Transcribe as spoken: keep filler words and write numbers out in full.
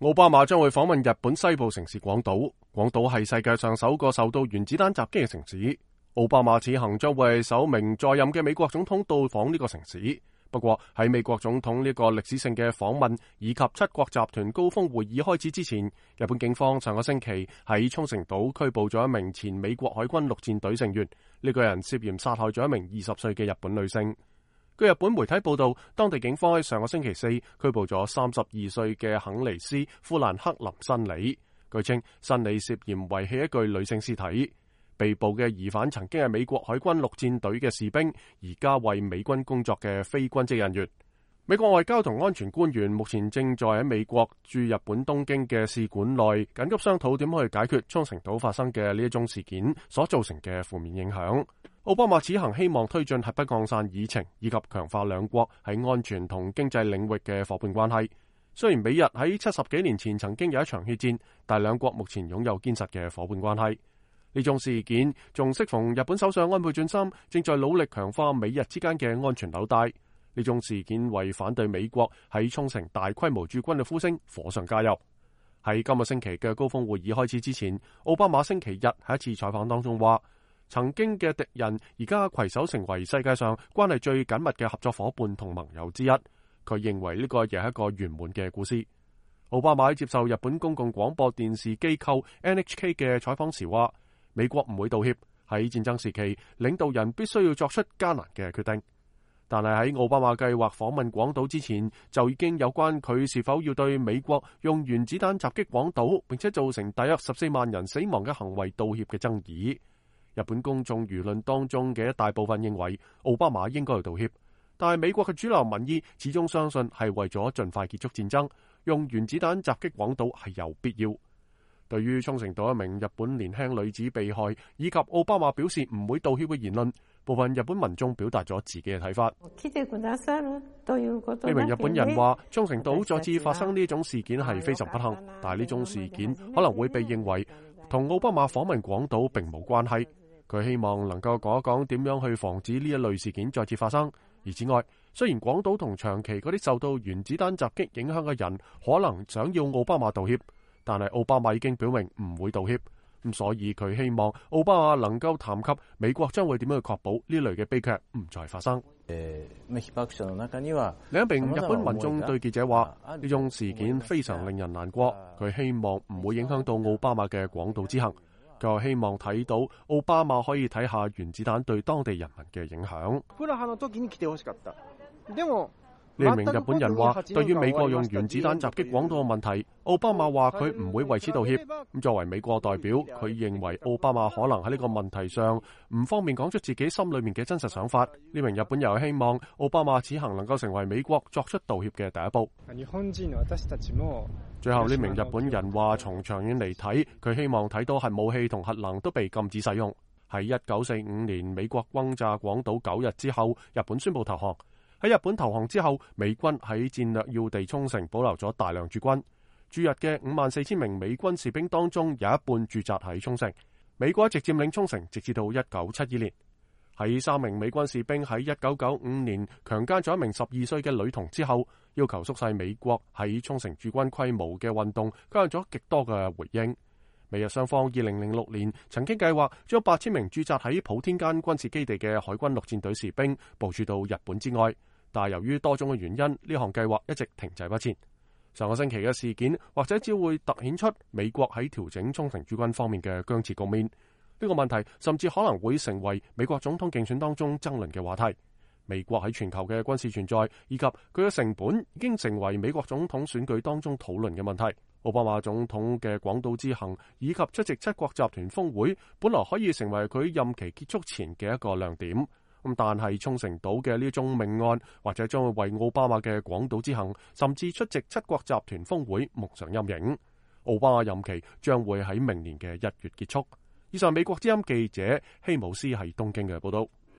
奧巴馬將會訪問日本西部城市廣島，廣島係世界上首個受到原子彈襲擊嘅城市。奧巴馬此行將會係首名在任嘅美國總統到訪呢個城市。不過喺美國總統呢個歷史性嘅訪問以及七國集團高峰會議開始之前，日本警方上個星期喺沖繩島拘捕咗一名前美國海軍陸戰隊成員，呢個人涉嫌殺害咗一名二十歲嘅日本女性。據日本媒體報道，當地警方喺上個星期四拘捕咗三十二歲嘅肯尼斯·富蘭克林申里。據稱，申里涉嫌遺棄一具女性屍體。被捕嘅疑犯曾經係美國海軍陸戰隊嘅士兵，而家為美軍工作嘅非軍職人員。美國外交同安全官員目前正在喺美國駐日本東京嘅使館內緊急商討點去解決沖繩島發生嘅呢一宗事件所造成嘅負面影響。奧巴馬此行希望推進核不擴散議程，以及強化兩國喺安全同經濟領域嘅夥伴關係。雖然美日喺七十幾年前曾經有一場血戰，但兩國目前擁有堅實嘅夥伴關係。呢種事件仲適逢日本首相安倍晉三正在努力強化美日之間嘅安全紐帶。呢種事件為反對美國喺沖繩大規模駐軍嘅呼聲火上加油。喺今個星期嘅高峰會議開始之前，奧巴馬星期日喺一次採訪當中話，曾經嘅敵人而家攜手成為世界上關係最緊密嘅合作伙伴同盟友之一。佢認為呢個亦係一個圓滿嘅故事。奧巴馬喺接受日本公共廣播電視機構 N H K 嘅採訪時話，美國唔會道歉，喺戰爭時期，領導人必須要作出艱難嘅決定。但係喺奧巴馬計劃訪問廣島之前，就已經有關佢是否要對美國用原子彈襲擊廣島，並且造成大約十四萬人死亡嘅行為道歉嘅爭議。日本公眾輿論當中嘅一大部分認為奧巴馬應該要道歉，但係美國嘅主流民意始終相信係為咗盡快結束戰爭，用原子彈襲擊廣島係有必要。對於沖繩島一名日本年輕女子被害以及奧巴馬表示唔會道歉嘅言論，部分日本民眾表達咗自己嘅睇法。呢名日本人話，沖繩島再次發生呢種事件係非常不幸，但係呢種事件可能會被認為同奧巴馬訪問廣島並冇關係。佢希望能夠講一講點樣去防止呢一類事件再次發生。而此外，雖然廣島同長期嗰啲受到原子彈襲擊影響嘅人可能想要奧巴馬道歉，但係奧巴馬已經表明唔會道歉，咁所以佢希望奧巴馬能夠談及美國將會點樣去確保呢類嘅悲劇唔再發生。另一名日本民眾對記者話，呢種事件非常令人難過，佢希望唔會影響到奧巴馬嘅廣島之行。佢又希望睇到奧巴馬可以睇下原子彈對當地人民嘅影響。呢名日本人話，對於美國用原子彈襲擊廣島嘅問題，奧巴馬話佢唔會為此道歉。咁作為美國代表，佢認為奧巴馬可能喺呢個問題上唔方便講出自己心裏面嘅真實想法。呢名日本人希望奧巴馬此行能夠成為美國作出道歉嘅第一步。最後呢名日本人話，從長遠嚟睇，佢希望睇到核武器同核能都被禁止使用。喺一九四五年美國轟炸廣島九日之後，日本宣布投降。喺日本投降之後，美軍喺戰略要地沖繩保留咗大量駐軍。駐日嘅五萬四千名美軍士兵當中，有一半駐紮喺沖繩。美國一直佔領沖繩，直至到一九七二年。喺三名美軍士兵喺一九九五年強姦咗一名十二歲嘅女童之後，要求縮細美國喺沖繩駐軍規模嘅運動，吸引咗極多嘅回應。美日雙方二零零六年曾經計劃將八千名駐紮喺普天間軍事基地嘅海軍陸戰隊士兵部署到日本之外。但係由於多種嘅原因，呢項計劃一直停滯不前。上個星期嘅事件或者只會凸顯出美國喺調整沖繩駐軍方面嘅僵持局面。呢個問題甚至可能會成為美國總統競選當中爭論嘅話題。美國喺全球嘅軍事存在以及佢嘅成本已經成為美國總統選舉當中討論嘅問題。奧巴馬總統嘅廣島之行以及出席七國集團峰會，本來可以成為佢任期結束前嘅一個亮點。咁但係沖繩島嘅呢宗命案，或者將會為奧巴馬嘅廣島之行，甚至出席七國集團峰會蒙上陰影。奧巴馬任期將會喺明年嘅一月結束。以上美國之音記者希姆斯喺東京嘅報道。